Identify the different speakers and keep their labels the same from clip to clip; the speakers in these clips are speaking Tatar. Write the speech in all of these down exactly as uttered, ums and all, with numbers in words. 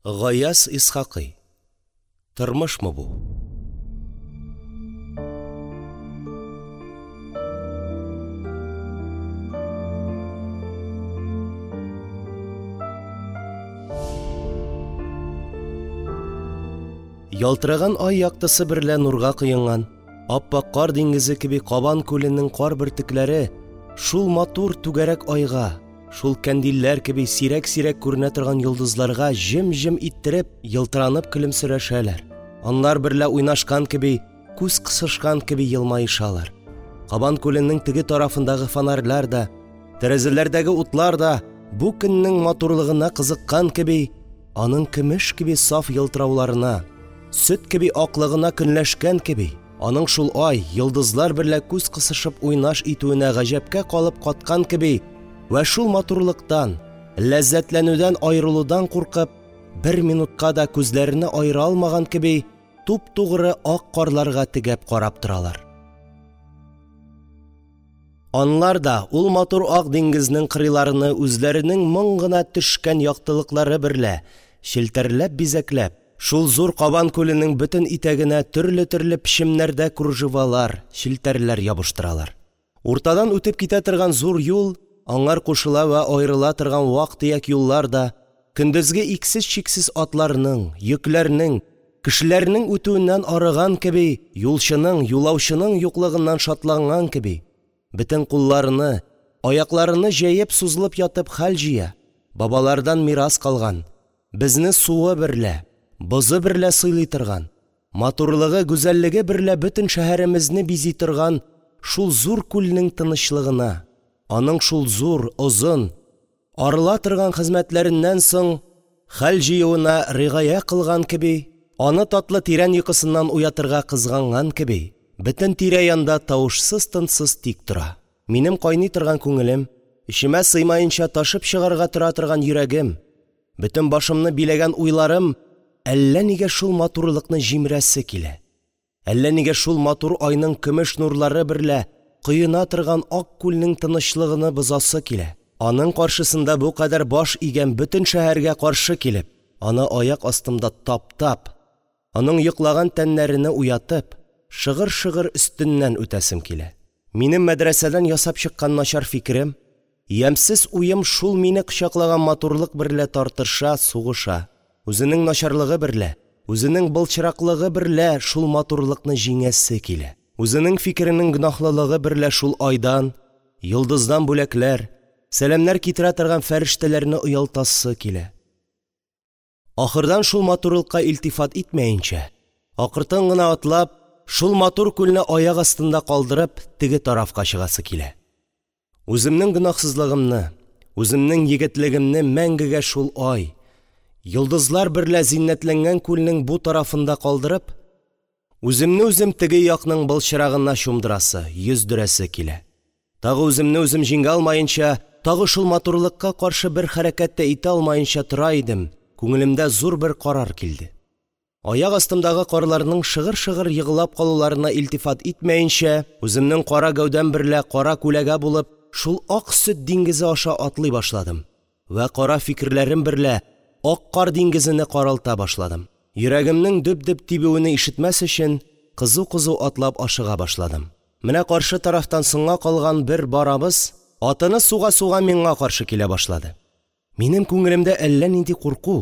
Speaker 1: Гаяз Исхакый. Тормышмы бу? Ялтыраган ай яктысы берлә нурга коенган, ап-ак кар диңгезе кеби Кабан күленең кар бөртекләре шул матур түгәрәк айга, шул кандилләр кеби сирәк-сирәк күренә торган йолдызларга җем-җем иттереп, елтыранып көлемсерәшәләр, анлар берлә уйнашкан кеби, күз кысышкан кеби елмаешалар. Кабан күленең теге тарафындагы фонарьлар да, тәрәзәләрдәге утлар да бу көннең матурлыгына кызыккан кеби, аның көмеш кеби саф елтырауларына, сөт кеби аклыгына көнләшкән кеби, аның шул ай, йолдызлар берлә күз кысышып уйнаш итүенә гаҗәпкә калып каткан кеби вә шул матурлыктан, ләззәтләнүдән аерылудан куркып, бер минутка да күзләрене аера алмаган кеби, туп-тугры ак карларга тегәп карап торалар. Анлар да ул матур ак диңгезнең кырыйларыны үзләренең моң гына төшкән яктылыклары берлә челтәрләп-бизәкләп, шул зур Кабан күленең бөтен итәгенә төрле-төрле печемнәрдә кружевалар, челтәрләр ябыштыралар. Уртадан үтеп китә торган зур юл, аңар кушыла вә аерыла торган вак-төяк юллар да, көндезге иксез-чиксез атларның, йөкләрнең, кешеләрнең үтүеннән арыган кеби, юлчының, юлаучының юклыгыннан шатланган кеби, бөтен кулларыны, аякларыны җәеп сузылып ятып хәл җыя, бабалардан мирас калган, безне суы берлә, бозы берлә сыйлый торган, матурлыгы, гүзәллеге берлә бөтен шәһәремезне бизи торган шул зур күлнең тынычлыгына, аның шул зур, озын, арыла торган хезмәтләреннән соң хәл җыюына ригая кылган кеби, аны татлы тирән йокысыннан уятырга кызганган кеби, бөтен тирә-янда тавышсыз-тынсыз тик тора. Минем кайный торган күңелем, эчемә сыймаенча ташып чыгарга тора торган йөрәгем, бөтен башымны биләгән уйларым әллә нигә шул матурлыкны җимерәсе килә, әллә нигә шул матур айның көмеш нурлары берлә коена торган ак күлнең тынычлыгыны бозасы килә, аның каршысында бу кадәр баш игән бөтен шәһәргә каршы килеп, аны аяк астымда таптап, аның йоклаган тәннәрене уятып, шыгыр-шыгыр өстеннән үтәсем килә. Минем мәдрәсәдән ясап чыккан начар фикерем, ямьсез уем шул мине кочаклаган матурлык берлә тартыша, сугыша. Үзенең начарлыгы берлә, үзенең былчыраклыгы берлә шул матурлыкны җиңәсе килә. Үзенең фикеренең гөнаһлылыгы берлә шул айдан, йолдыздан бүләкләр, сәламнәр китерә торган фәрештәләрне оялтасы килә. Ахырдан шул матурлыкка илтифат итмәенчә, акыртын гына атлап, шул матур күлне аяк астында калдырып, теге тарафка чыгасы килә. Үземнең гөнаһсызлыгымны, үземнең егетлегемне мәңгегә шул ай, йолдызлар берлә зиннәтләнгән күлнең бу тарафында калдырып, үземне үзем теге якның былчырагына чумдырасы, йөздерәсе килә. Тагы үземне үзем җиңә алмаенча, тагы шул матурлыкка каршы бер хәрәкәт тә итә алмаенча тора идем, күңелемдә зур бер карар килде. Аяк астымдагы карларның шыгыр-шыгыр егылап калуларына илтифат итмәенчә, үземнең кара гәүдәм берлә кара күләгә булып, шул ак сөт диңгезе аша атлый башладым вә кара фикерләрем берлә ак кар диңгезене каралта башладым. Йөрәгемнең дөп-дөп тибүене ишетмәс өчен, кызу-кызу атлап ашыга башладым. Менә каршы тарафтан соңга калган бер барабыз, атыны суга-суга миңа каршы килә башлады. Минем күңелемдә әллә нинди курку,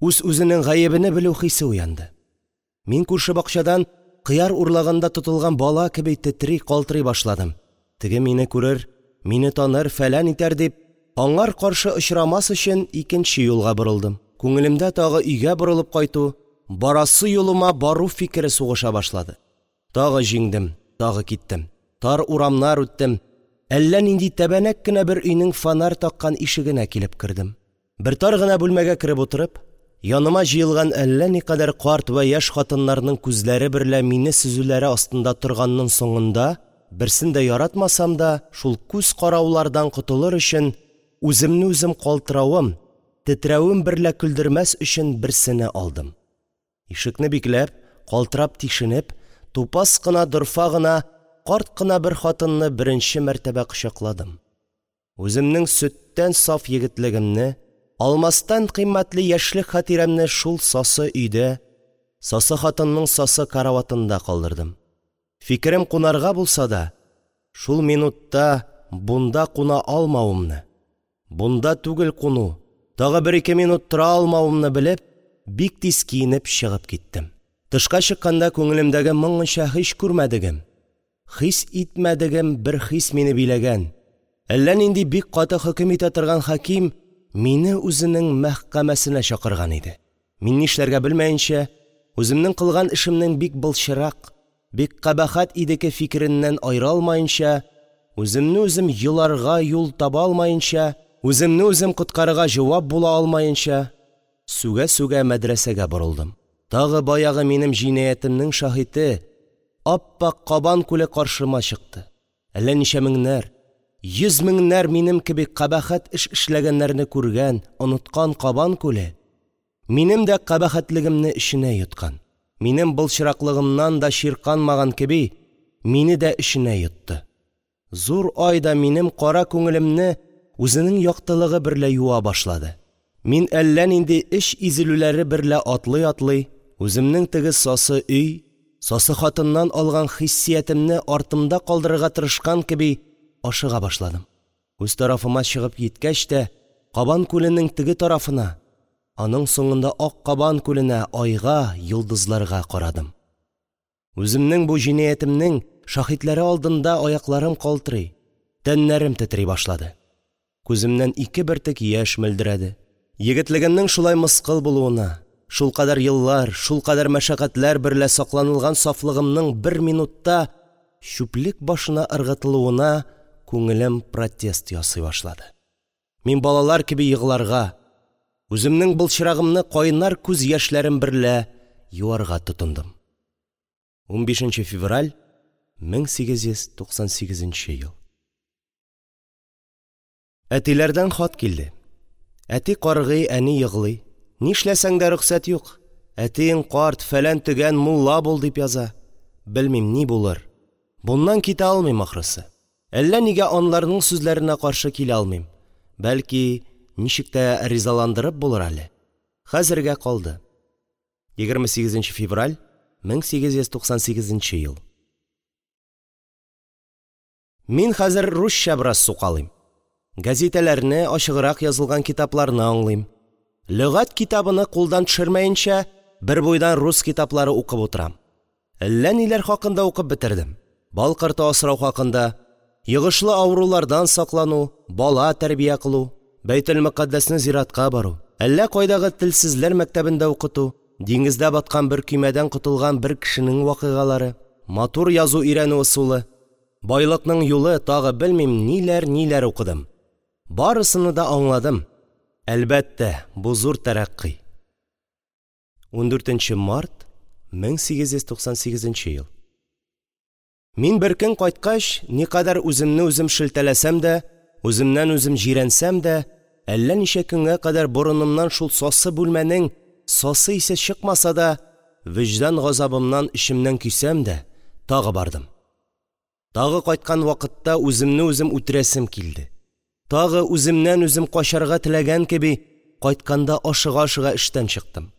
Speaker 1: үз-үзенең гаебене белү хисе уянды. Мин күрше бакчадан кыяр урлаганда тотылган бала кеби тетри, калтырый башладым. Теге мине күрер, мине таныр, фәлән итәр дип, аңар каршы очрамас өчен икенче юлга борылдым. Күңелемдә тагы өйгә борылып кайту, барасы юлыма бару фикере сугыша башлады. Тагы җиңдем, тагы киттем. Тар урамнар үттем. Әллә нинди тәбәнәк кенә бер өйнең фонарь таккан ишегенә килеп кердем. Бер тар гына бүлмәгә кереп утырып, яныма җыелган әллә никадәр карт вә яшь хатыннарның күзләре берлә мине сөзүләре астында торганның соңында, берсен дә яратмасам да, шул күз караулардан котылыр өчен үземне үзем калтыравым, тетрәвем берлә көлдермәс өчен берсене алдым. Ишекне бикләп, калтырап тишенеп, тупас кына, дорфа гына, карт кына бер хатынны беренче мәртәбә кочакладым. Үземнең сөттән саф егетлегемне, алмастан кыйммәтле яшьлек хатирәмне шул сасы өйдә, сасы хатынның сасы караватында калдырдым. Фикерем кунарга булса да, шул минутта бунда куна алмавымны, бунда түгел куну, тагы бер-ике минут тора алмавымны белеп, бик тиз киенеп чыгып киттем. Тышка чыкканда күңелемдәге моңынча һич күрмәдегем, хис итмәдегем бер хис мине биләгән, әллә нинди бик каты хөкем итә торган хаким мине үзенең мәхкәмәсенә чакырган иде. Мин нишләргә белмәенчә, үземнең кылган эшемнең бик былчырак, бик кабахәт идеке фикереннән аера алмаенча, үземне үзем йоларга юл таба алмаенча, үземне үзем коткарырга җавап була алмаенча, сүгә-сүгә мәдрәсәгә борылдым. Тагы баягы минем җинаятемнең шаһите ап-ак Кабан күле каршыма чыкты. Әллә ничә меңнәр, йөз меңнәр минем кеби кабахәт эш эшләгәннәрне күргән, оныткан Кабан күле минем дә кабахәтлегемне эченә йоткан, минем былчыраклыгымнан да чирканмаган кеби, мине дә эченә йотты. Зур ай да минем кара күңелемне үзенең яктылыгы берлә юа башлады. Мин әллә нинди эч изелүләре берлә атлый-атлый, үземнең теге сасы өй, сасы хатыннан алган хиссиятемне артымда калдырырга тырышкан кеби ашыга башладым. Үз тарафыма чыгып җиткәч тә, Кабан күленең теге тарафына, аның соңында ак Кабан күленә, айга, йолдызларга карадым. Үземнең бу җинаятемнең шаһитләре алдында аякларым калтырый, тәннәрем тетри башлады. Күземнән ике бөртек яшь мөлдерәде. Егетлегемнең шулай мыскыл булуына, шулкадәр еллар, шулкадәр мәшәкатьләр берлә сакланылган сафлыгымның бер минутта чүплек башына ыргытылуына күңелем протест ясый башлады. Мин балалар кеби егларга, үземнең былчырагымны кайнар күз яшьләрем берлә юарга тотындым. унбишенче февраль мең сигез йөз туксан сигезенче ел. Әтиләрдән хат килде. Әти каргый, әни еглый. Нишләсәң дә рөхсәт юк. Әтиең карт, фәлән төгән мулла бул дип яза. Белмим ни булыр. Буннан китә алмыйм ахрысы. Әллә нигә анларның сүзләренә каршы килә алмыйм. Бәлки, ничек тә ризаландырып булыр әле. Хәзергә калды. егерме сигезенче февраль мең сигез йөз туксан сигезенче ел. Мин хәзер русча бераз сукалыйм. Газеталарны, ачыграк язылган китапларны аңлыйм. Лөгать китабыны кулдан төшермәенчә, бер буйдан рус китаплары укып утырам. Әллә ниләр хакында укып бетердем. Бал корты асрау хакында, йогышлы авырулардан саклану, бала тәрбия кылу, Бәйтел-Мөкаддәсне зиратка бару, әллә кайдагы телсезләр мәктәбендә укыту, диңгездә баткан бер көймәдән котылган бер кешенең вакыйгалары, матур язу өйрәнү ысулы, байлыкның юлы, тагы белмим ниләр-ниләр укыдым. Барысыны да аңладым. Әлбәттә, бу зур тәрәккый. ундүртенче март мең сигез йөз туксан сигезенче ел. Мин бер көн кайткач, никадәр үземне үзем шелтәләсәм дә, үземнән үзем җирәнсәм дә, әллә ничә көнгә кадәр борынымнан шул сасы бүлмәнең сасы исе чыкмаса да, вөҗдан газабымнан эчемнән көйсәм дә, тагы бардым. Тагы кайткан вакытта үземне үзем үтерәсем килде. Тагы үземнән үзем качарга теләгән кеби, кайтканда ашыга-ашыга эштән чыктым.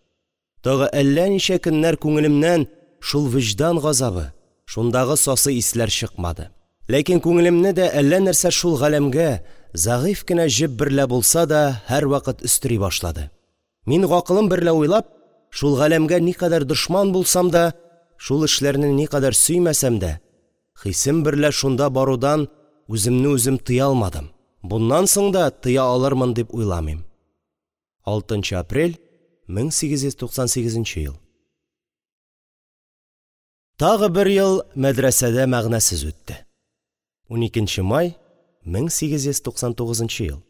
Speaker 1: Тагы әллә ничә көннәр күңелемнән шул вөҗдан газабы, шундагы сасы исләр чыкмады. Ләкин күңелемне дә әллә нәрсә шул галәмгә зәгыйфь кенә җеп берлә булса да һәрвакыт өстери башлады. Мин гакылым берлә уйлап, шул галәмгә никадәр дошман булсам да, шул эшләрне никадәр сөймәсәм дә, хисем берлә шунда барудан үземне үзем тыя алмадым. Буннан соң да тыя алырмын дип уйламыйм. алтынчы апрель мең сигез йөз туксан сигезенче ел. Тагы бер ел мәдрәсәдә мәгънәсез үтте. уникенче май мең сигез йөз туксан тугызынчы ел.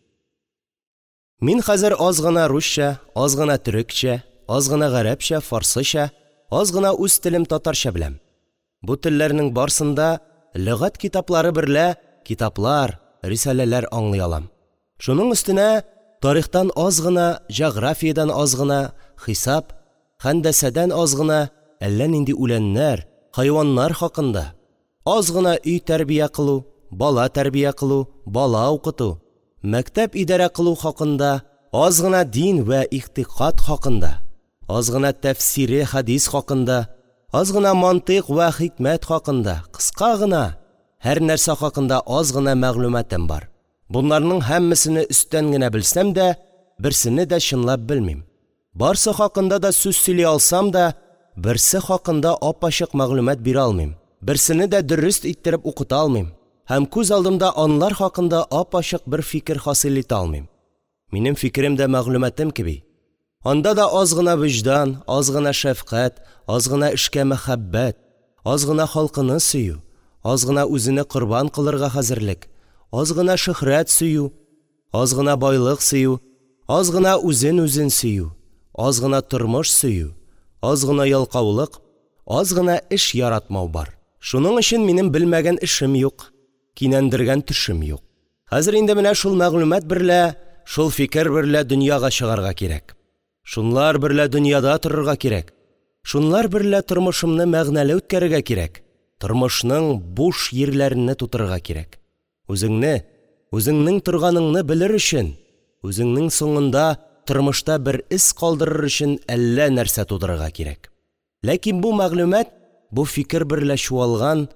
Speaker 1: Мин хәзер аз гына русча, аз гына төрекчә, аз гына гарәпчә, фарсыча, аз гына үз телем татарча беләм. Бу телләрнең барсында лөгать китаплары берлә китаплар, рисаләләр аңлый алам. Шуның өстенә тарихтан аз гына, җәгърафиядән аз гына, хисап, хәндәсәдән аз гына, әллә нинди үләннәр, хайваннар хакында, аз гына өй тәрбия кылу, бала тәрбия кылу, бала укыту, мәктәп идарә кылу хакында аз гына дин вә игътикад хакында, аз гына тәфсире хәдис хакында, аз гына мантыйк вә хикмәт хакында, кыска гына һәр нәрсә хакында аз гына мәгълүматым бар. Боларның һәммәсене өсттән генә белсәм дә, берсене дә чынлап белмим. Барсы хакында да сүз сөйли алсам да, берсе хакында ап-ачык мәгълүмат бирә алмыйм. Берсене дә дөрест иттереп укыта алмыйм һәм күз алдымда алар хакында ап-ачык бер фикер хасил итә алмыйм. Минем фикерем дә мәгълүматым кеби, анда да аз гына вөҗдан, аз гына шәфкать, аз гына эшкә мәхәббәт, аз гына халкыны сөю, аз гына үзене корбан кылырга хәзерлек, аз гына шөһрәт сөю, аз гына байлык сөю, аз гына үзен үзен сөю, аз гына тормыш сөю, аз гына ялкаулык, аз гына эш яратмау бар. Шуның өчен минем белмәгән эшем юк, кинәндергән төшем юк. Хәзер инде менә шул мәгълүмат берлә, шул фикер берлә дөньяга чыгарга кирәк. Шунлар берлә дөньяда торырга кирәк. Шунлар берлә тормышымны мәгънәле үткәрергә кирәк. Тормышның буш йирләрене тутырырга кирәк. Үзеңне, үзеңнең торганыңны белер өчен, үзеңнең соңында тормышта бер эз калдырыр өчен әллә нәрсә тудырырга кирәк. Ләкин бу мәгълүмат, бу фикер берлә чуалган,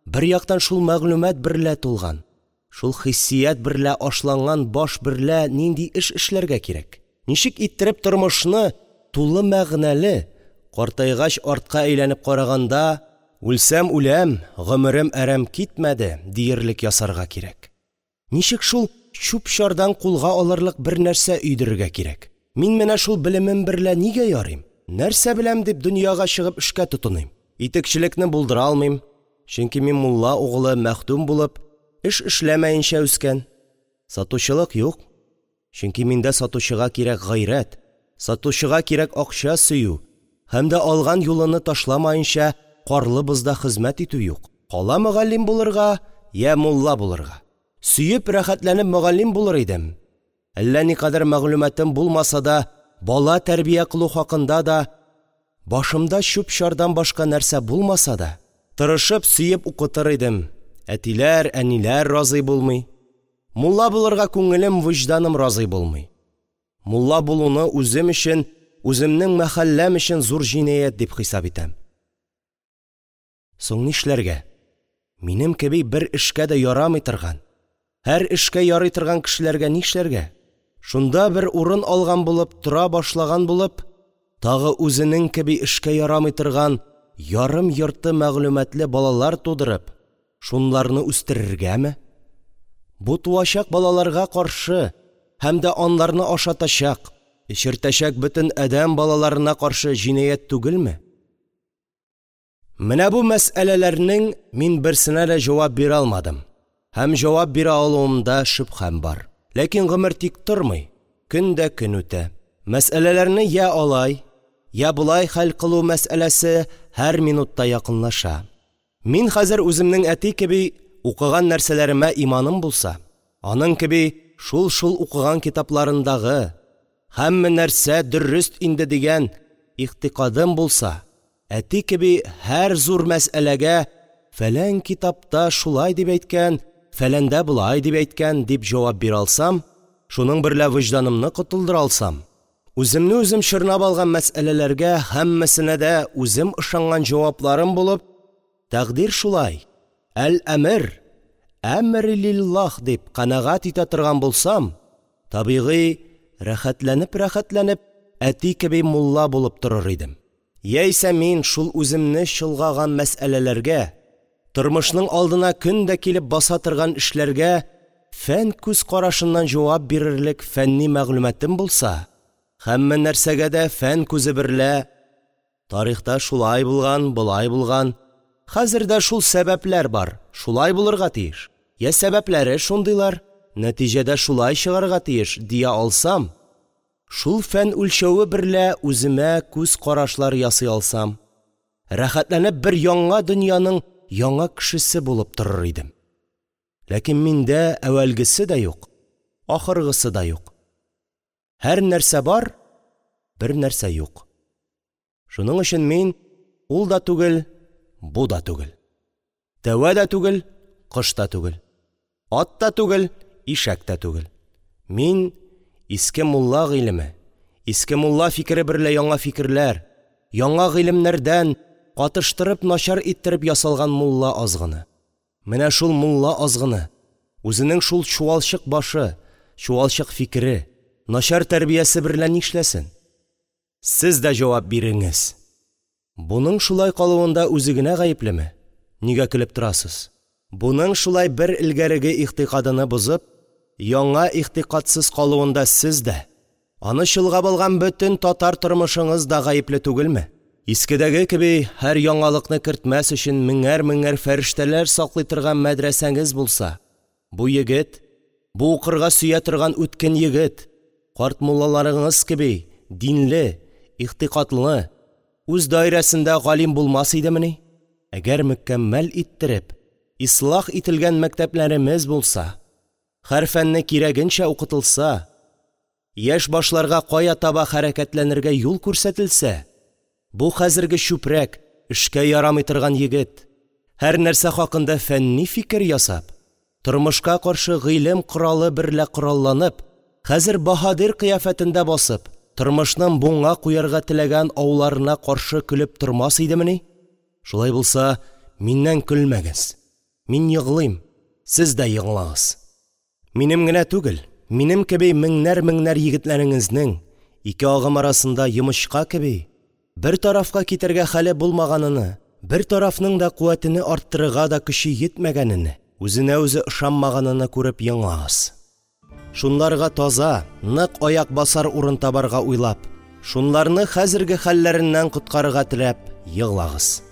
Speaker 1: бер яктан шул мәгълүмат берлә тулган, шул хиссият берлә ашланган баш берлә нинди эш эшләргә кирәк? Ничек иттереп тормышны тулы мәгънәле, картайгач артка әйләнеп караганда, үлсәм үләм, гомерем әрәм китмәде диерлек ясарга кирәк? Ничек шул чүп-чардан кулга алырлык бер нәрсә өйдерергә кирәк? Мин менә шул белемем берлә нигә ярыйм? Нәрсә беләм дип дөньяга чыгып эшкә тотыныйм? Итекчелекне булдыра алмыйм, чөнки мин мулла угылы мәхдүм булып, эш эшләмәенчә үскән. Сатучылык юк, чөнки миндә сатучыга кирәк гайрәт, сатучыга кирәк акча сөю һәм дә алган юлыны ташламаенча карлы бозда хезмәт итү юк. Кала мөгаллим булырга я мулла булырга. Сөеп рәхәтләнеп мөгаллим булыр идем. Әллә никадәр мәгълүматым булмаса да, бала тәрбия кылу хакында да, башымда чүп-чардан башка нәрсә булмаса да, тырышып сөеп укытыр идем. Әтиләр, әниләр разый булмый. Мулла булырга күңелем, вөҗданым разый булмый. Мулла булуны үзем өчен, үземнең мәхәлләм өчен зур җинаять дип хисап итәм. Соң нишләргә? Минем кеби бер эшкә дә ярамый торган, һәр эшкә ярый торган кешеләргә нишләргә? Шунда бер урын алган булып, тора башлаган булып, тагы үзенең кеби эшкә ярамый торган ярым-йорты мәгълүматлы балалар тудырып, шунларны үстерергәме? Бу туачак балаларга каршы һәм дә анларны ашатачак, эчертәчәк бөтен адәм балаларына каршы җинаять түгелме? Менә бу мәсьәләләрнең мин берсенә дә җавап бирә алмадым һәм җавап бирә алуымда шөбһәм бар. Ләкин гомер тик тормый, көн дә көн үтә. Мәсьәләләрне я алай, я болай хәл кылу мәсьәләсе һәр минутта якынлаша. Мин хәзер үземнең әти кеби укыган нәрсәләремә иманым булса, аның кеби шул-шул укыган китапларындагы һәммә нәрсә дөрест инде дигән игътикадым булса, әти кеби һәр зур мәсьәләгә фәлән китапта шулай дип әйткән, фәләндә болай дип әйткән дип җавап бирә алсам, шуның берлә вөҗданымны котылдыра алсам, үземне үзем чорнап алган мәсьәләләргә һәммәсенә дә үзем ышанган җавапларым булып, тәкъдир шулай, әл-әмер, әмре лиллаһ дип канәгать итә торган булсам, табигый, рәхәтләнеп-рәхәтләнеп әти кеби мулла булып торыр идем. Яисә мин шул үземне чолгаган мәсьәләләргә, тормышның алдына көн дә килеп баса торган эшләргә фән күз карашыннан җавап бирерлек фәнни мәгълүматым булса, һәммә нәрсәгә дә фән күзе берлә тарихта шулай булган, болай булган, хәзер дә шул сәбәпләр бар, шулай булырга тиеш, я сәбәпләре шундыйлар, нәтиҗәдә шулай чыгарга тиеш дия алсам, шул фән үлчәве берлә үземә күз карашлар ясый алсам, рәхәтләнеп бер яңа дөньяның яңа кешесе булып торыр идем. Ләкин миндә әүвәлгесе дә юк, ахыргысы да юк. Һәр нәрсә бар, бер нәрсә юк. Шуның өчен мин ул да түгел, бу да түгел. Тәвә дә түгел, кош та түгел. Ат та түгел, ишәк тә түгел. Мин Иске мулла гыйлеме, иске мулла фикере берлә яңа фикерләр, яңа гыйлемнәрдән катыштырып начар иттереп ясалган мулла азгыны. Менә шул мулла азгыны үзенең шул чуалчык башы, чуалчык фикере, начар тәрбиясе берлә нишләсен? Сез дә җавап биреңез! Буның шулай калуында үзе генә гаеплеме? Нигә көлеп торасыз? Буның шулай бер элгәреге игътикадыны бозып, яңа игътикадсыз калуында сез дә, аны чолгап алган бөтен татар тормышыңыз да гаепле түгелме? Искедәге кеби һәр яңалыкны кертмәс өчен меңәр-меңәр фәрештәләр саклый торган мәдрәсәңез булса, бу егет, бу укырга сөя торган үткен егет, карт муллаларыңыз кеби динле, игътикадлы, үз даирәсендә галим булмас идемени? Әгәр мөкәммәл иттереп, ислах ителгән мәктәпләремез булса, һәр фәнне кирәгенчә укытылса, яшь башларга кая таба хәрәкәтләнергә юл күрсәтелсә, бу хәзерге чүпрәк, эшкә ярамый торган егет, һәр нәрсә хакында фәнни фикер ясап, тормышка каршы гыйлем коралы берлә коралланып, хәзер баһадир кыяфәтендә басып, тормышның буңа куярга теләгән ауларына каршы көлеп тормас идемени? Шулай булса, миннән көлмәгез. Мин егълыйм, сез дә егълаңыз. Минем генә түгел, минем кеби меңнәр-меңнәр егетләреңезнең ике агым арасында йомычка кеби бер тарафка китәргә хәле булмаганыны, бер тарафның да куәтене арттырырга да көче йитмәгәнене, үзенә үзе ышанмаганыны күреп егълаңыз. Шунларга таза, нык аяк басар урын табарга уйлап, шунларны хәзерге хәлләреннән коткарырга теләп егълаңыз.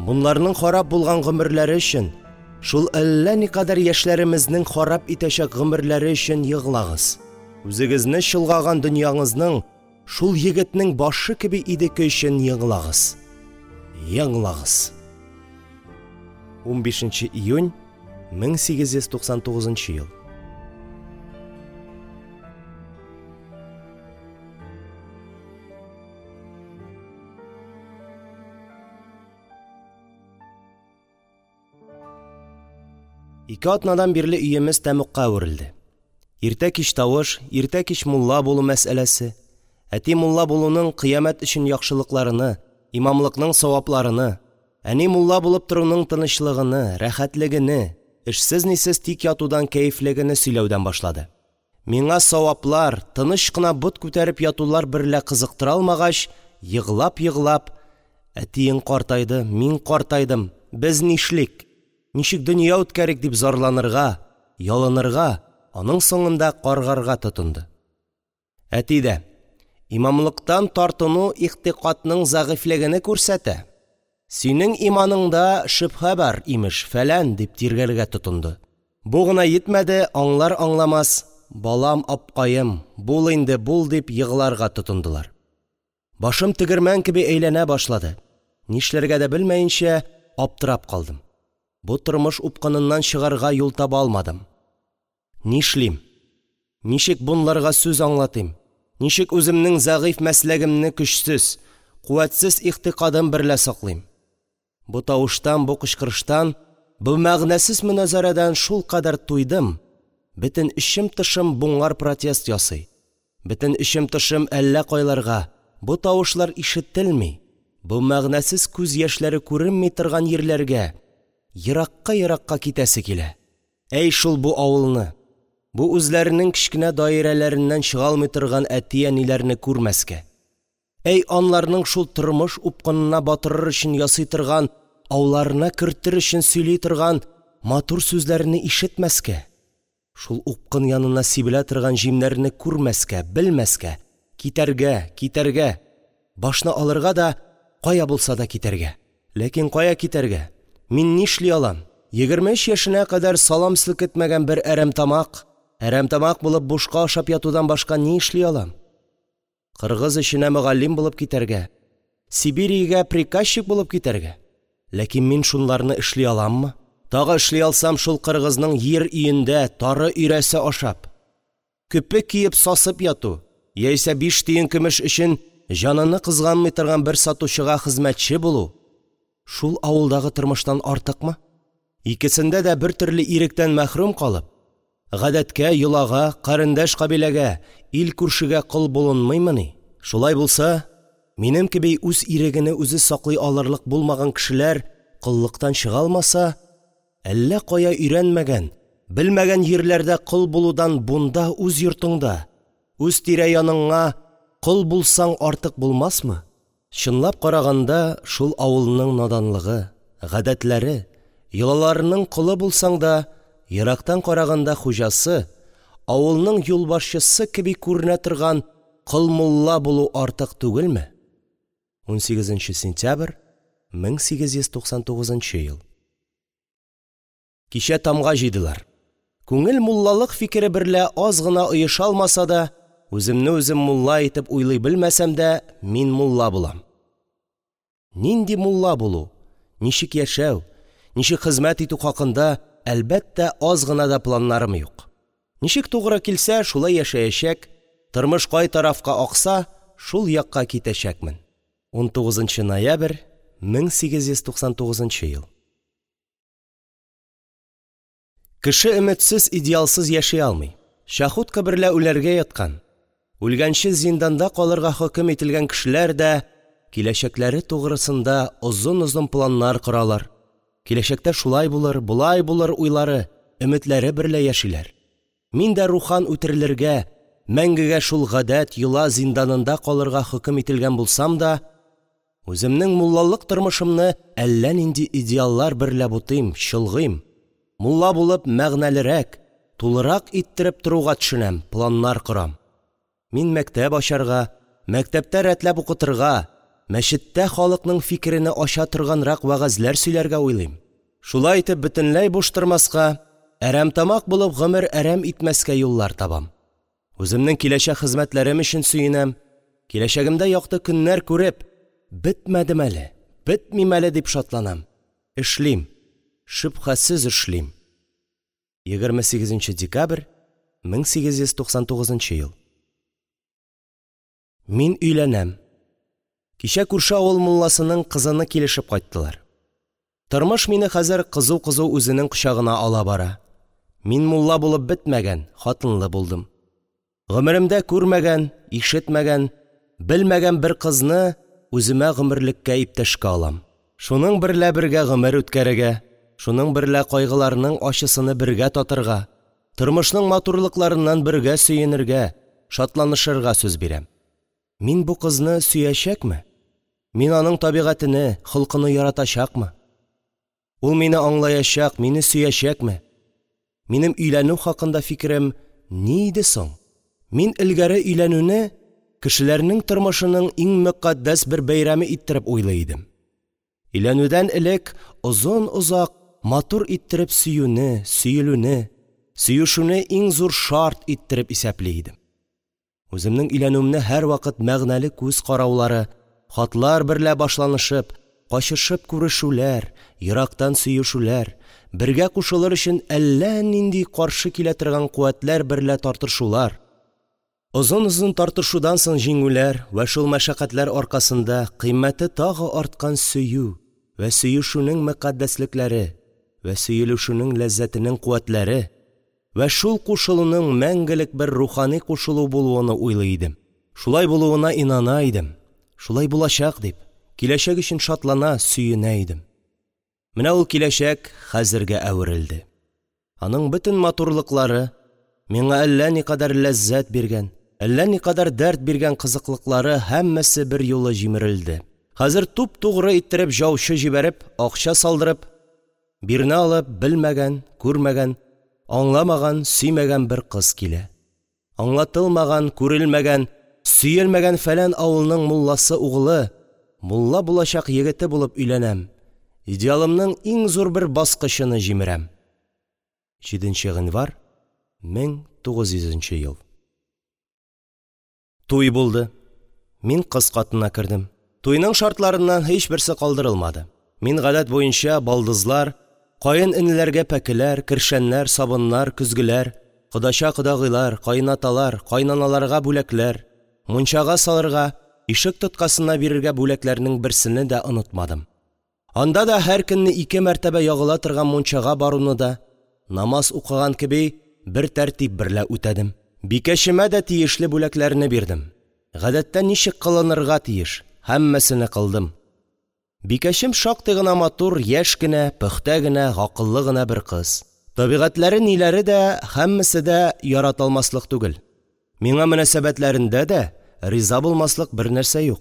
Speaker 1: Бунларның харап булган гомерләре өчен, шул әллә никадәр яшьләремезнең харап итәчәк гомерләре өчен егълаңыз. Үзегезне чолгаган дөньяңызның шул егетнең башы кеби идеке өчен егълаңыз. Егълаңыз. унбишенче июнь мең сигез йөз туксан тугызынчы ел. Ике атнадан бирле өемез тәмугка әверелде. Иртә-кич тавыш, иртә-кич мулла булу мәсьәләсе, әти мулла булуның кыямәт өчен яхшылыкларыны, имамлыкның савапларыны, әни мулла булып торуның тынычлыгыны, рәхәтлегене, эшсез-нисез тик ятудан кәефлегене сөйләүдән башлады. Миңа саваплар, тыныч кына бот күтәреп ятулар берлә кызыктыра алмагач, егълап-егълап, әтиең картайды, мин картайдым, без нишлик? Ничек дөнья үткәрик дип зарланырга, ялынырга, аның соңында каргарга тотынды. Әти дә, имамлыктан тартыну игътикадның зәгыйфьлегене күрсәтә, синең иманыңда шөбһә бар, имеш, фәлән, дип тиргәргә тотынды. Бу гына йитмәде, аңлар-аңламас, балам, апкаем, бул инде, бул, дип егъларга тотындылар. Башым тегермән кеби әйләнә башлады. Нишләргә дә белмәенчә, аптырап калдым. Бу тормыш упкыныннан чыгарга юл таба алмадым. Нишлим? Ничек бунларга сүз аңлатыйм? Ничек үземнең зәгыйфь мәсләгемне көчсез, куәтсез игътикадым берлә саклыйм? Бу тавыштан, бу кычкырыштан, бу мәгънәсез мөнәзәрәдән шулкадәр туйдым, бөтен эчем-тышым буңар протест ясый. Бөтен эчем-тышым әллә кайларга, бу тавышлар ишетелми, бу мәгънәсез күз яшьләре күренми торган йирләргә, еракка-еракка китәсе килә. Әй шул бу авылны, бу үзләренең кечкенә даирәләреннән чыга алмый торган әти-әниләрне күрмәскә. Әй анларның шул тормыш упкынына батырыр өчен ясый торган, ауларына кертер өчен сөйли торган матур сүзләрне ишетмәскә. Шул упкын янына сибелә торган җимнәрне күрмәскә, белмәскә, китәргә, китәргә, башны алырга да, кая булса да китәргә. Ләкин кая китәргә? Мин нишли алам? Егерме өч яшенә кадәр салам селкетмәгән бер әрәмтамак, әрәмтамак булып бушка ашап ятудан башка ни эшли алам? Кыргыз эченә мөгаллим булып китәргә, Сибириягә приказчик булып китәргә. Ләкин мин шунларны эшли аламмы? Тагы эшли алсам, шул кыргызның йир өендә тары өйрәсе ашап, көпе киеп сасып яту, яисә биш тиен көмеш өчен җаныны кызганмый торган бер сатучыга хезмәтче булу, шул авылдагы тормыштан артыкмы? Икесендә дә бер төрле иректән мәхрүм калып, Гадәткә, йолага, карендәш-кабиләгә, ил-күршегә кол булынмыймыни? Шулай булса, минем кеби үз ирегене үзе саклый алырлык булмаган кешеләр коллыктан чыга алмаса, әллә кая өйрәнмәгән, белмәгән җирләрдә кол булудан бунда үз йортыңда, үз тирә-яныңа кол булсаң артык булмасмы? Чынлап караганда, шул авылның наданлыгы, гадәтләре, йолаларының колы булсаң да, ерактан караганда хуҗасы, авылның юлбашчысы кеби күренә торган кол мулла булу артык түгелме? унсигезенче сентябрь, мең сигез йөз туксан тугызынчы ел. Кичә тамга җыйдылар. Күңел муллалык фикере берлә аз гына оеша алмаса да, үземне үзем мулла итеп уйлый белмәсәм дә, мин мулла булам. Нинди мулла булу, ничек яшәү, ничек хезмәт итү хакында, әлбәттә, аз гына да планнарым юк. Ничек тугры килсә, шулай яшәячәк, тормыш кай тарафка акса, шул якка китәчәкмен. унтугызынчы ноябрь, мең сигез йөз туксан тугызынчы ел. Кеше өметсез, идеалсыз яши алмый. Чахотка берлә үләргә яткан, үлгәнче зинданда калырга хөкем ителгән кешеләр дә киләчәкләре тугрысында озын-озын планнар коралар. Киләчәктә шулай булыр, болай булыр уйлары, өметләре берлә яшиләр. Мин дә рухан үтерелергә, мәңгегә шул гадәт, йола зинданында калырга хөкем ителгән булсам да, үземнең муллалык тормышымны әллә нинди идеаллар берлә бутыйм, чолгыйм. Мулла булып мәгънәлерәк, тулырак иттереп торуга төшенәм, планнар корам. Мин мәктәп ачарга, мәктәптә рәтләп укытырга, мәчеттә халыкның фикерене ача торганрак вәгазьләр сөйләргә уйлыйм. Шулай итеп бөтенләй буш тормаска, әрәмтамак булып гомер әрәм итмәскә юллар табам. Үземнең киләчәк хезмәтләрем өчен сөенәм. Киләчәгемдә якты көннәр күреп, бетмәдем әле, бетмим әле дип шатланам. Эшлим. Шөбһәсез эшлим. егерме сигезенче декабрь, мең сигез йөз туксан тугызынчы ел. Мин өйләнәм. Кичә күрше авыл мулласының кызыны килешеп кайттылар. Тормыш мине хәзер кызу-кызу үзенең кочагына ала бара. Мин мулла булып бетмәгән, хатынлы булдым. Гомеремдә күрмәгән, ишетмәгән, белмәгән бер кызны үземә гомерлеккә иптәшкә алам. Шуның берлә бергә гомер үткәрергә, шуның берлә кайгыларның ачысыны бергә татырга, тормышның матурлыкларыннан бергә сөенергә, шатланышырга сүз бирәм. Мин бу кызны сөячәкме? Мин аның табигатене, холкыны яратачакмы? Ул мине аңлаячак, мине сөячәкме? Минем өйләнү хакында фикерем ни иде соң? Мин элгәре өйләнүне кешеләрнең тормышының иң мөкатдәс бер бәйрәме иттереп уйлый идем. Өйләнүдән элек озын-озак матур иттереп сөюне, сөелүне, сөешүне иң зур шарт иттереп исәпли идем. Үземнең өйләнүемне һәрвакыт мәгънәле күз караулары, хатлар берлә башланышып, качышып күрешүләр, ерактан сөешүләр, бергә кушылыр өчен әллә нинди каршы килә торган куәтләр берлә тартышулар, озын-озын тартышудан соң җиңүләр вә шул мәшәкатьләр аркасында кыйммәте тагы арткан сөю вә сөешүнең мөкатдәслекләре вә сөелүшүнең ләззәтенең куәтләре вә шул кушылуның мәңгелек бер рухани кушылу булуын уйлый идем. Шулай булуына инана идем. Шулай булачак дип, киләчәк өчен шатлана, сөенә идем. Менә ул киләчәк хәзергә әверелде. Аның бөтен матурлыклары, миңа әллә никадәр ләззәт биргән, әллә никадәр дәрт биргән кызыклыклары һәммәсе бер юлы җимерелде. Хәзер туп-тугры иттереп җаучы җибәреп, акча салдырып, бирнә алып, белмәгән, күрмәгән, аңламаган, сөймәгән бер кыз килә. Аңлатылмаган, күрелмәгән, сөелмәгән фәлән авылның мулласы угылы, мулла булачак егете булып өйләнәм. Идеалымның иң зур бер баскычыны җимерәм. җиденче гыйнвар, мең тугыз йөзенче ел. Туй булды. Мин кыз катына кердем. Туйның шартларыннан һичберсе калдырылмады. Мин гадәт буенча балдызлар, каен энеләргә пәкеләр, кершәннәр, сабыннар, көзгеләр, кодача-кодагыйлар, каенаталар, каенаналарга бүләкләр, мунчага салырга, ишек тоткасына бирергә бүләкләрнең берсене дә онытмадым. Анда да һәр көнне ике мәртәбә ягыла торган мунчага баруны да, намаз укыган кеби, бер тәртип берлә үтәдем. Бикәчемә дә тиешле бүләкләрне бирдем. Гадәттә ничек кылынырга тиеш, һәммәсене кылдым. Бикәчем шактый гына матур, яшь кенә, пөхтә генә, гакыллы гына бер кыз. Табигатьләре ниләре дә һәммәсе дә яратылмаслык түгел. Миңа мөнәсәбәтләрендә дә риза булмаслык бернәрсә юк.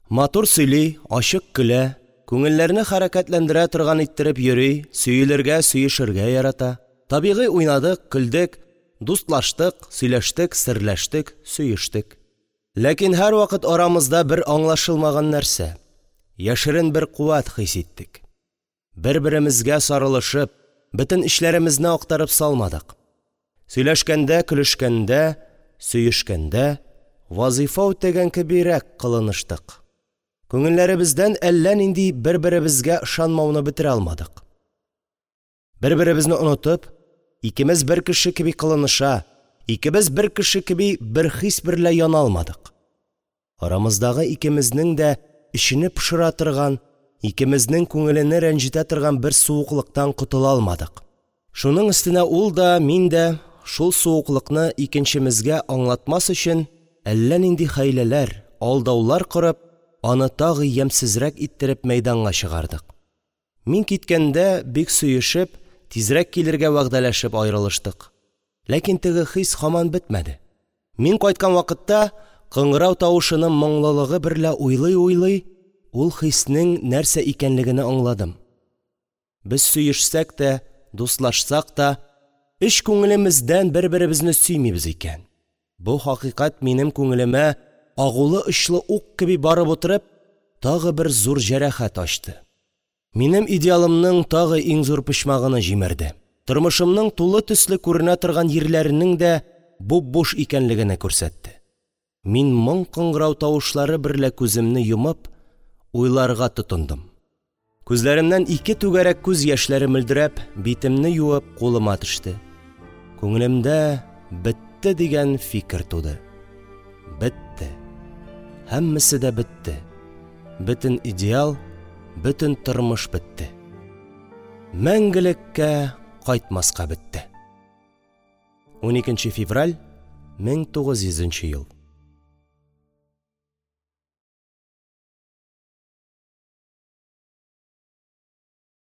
Speaker 1: Матур сөйли, ачык көлә, күңелләрне хәрәкәтләндерә торган иттереп йөри, сөелергә, сөешергә ярата. Табигый уйнадык, көлдек, дустлаштык, сөйләштек, серләштек, сөештек. Ләкин һәрвакыт арамызда бер аңлашылмаган нәрсә, яшерен бер куәт хис иттек. Бер-беремезгә сарылышып, бөтен эчләремезне актарып салмадык. Сөйләшкәндә, көлешкәндә, сөешкәндә вазифа үтәгән кебирәк кылыныштык. Күңелләремездән әллә нинди бер-беремезгә ышанмауны бетерә алмадык. Бер-беребезне онытып, икемез бер кеше кеби кылыныша, икебез бер кеше кеби бер хис берлә яна алмадык. Арамыздагы икемезнең дә эчене пошыра торган, икемезнең күңелене рәнҗетә торган бер суыклыктан котыла алмадык. Шуның өстенә ул да, мин дә шул суыклыкны икенчемезгә аңлатмас өчен әллә нинди хәйләләр, алдаулар корып, аны тагы ямьсезрәк иттереп мәйданга чыгардык. Мин киткәндә бик сөешеп, тизрәк килергә вәгъдәләшеп аерылыштык. Ләкин теге хис һаман бетмәде. Мин кайткан вакытта кыңгырау тавышының моңлылыгы берлә уйлый-уйлый, ул хиснең нәрсә икәнлегене аңладым. Без сөешсәк тә, дуслашсак та, эч күңелемездән бер-беребезне сөймибез икән. Бу хакыйкать минем күңелемә агулы очлы ук кеби барып утырып, тагы бер зур җәрәхәт ачты. Минем идеалымның тагы иң зур почмагыны җимерде. Тормышымның тулы төсле күренә торган йирләренең дә буп-буш икәнлегене күрсәтте. Мин моң кыңгырау тавышлары берлә күземне йомып, уйларга тотындым. Күзләремнән ике түгәрәк күз яшьләре мөлдерәп, битемне юып, кулыма төште. Күңелемдә бетте дигән фикер туды. Бетте. Һәммәсе дә бетте. Бөтен идеал, бөтен тормыш бетте. Мәңгелеккә кайтмаска бетте. уникенче февраль мең тугыз йөзенче ел.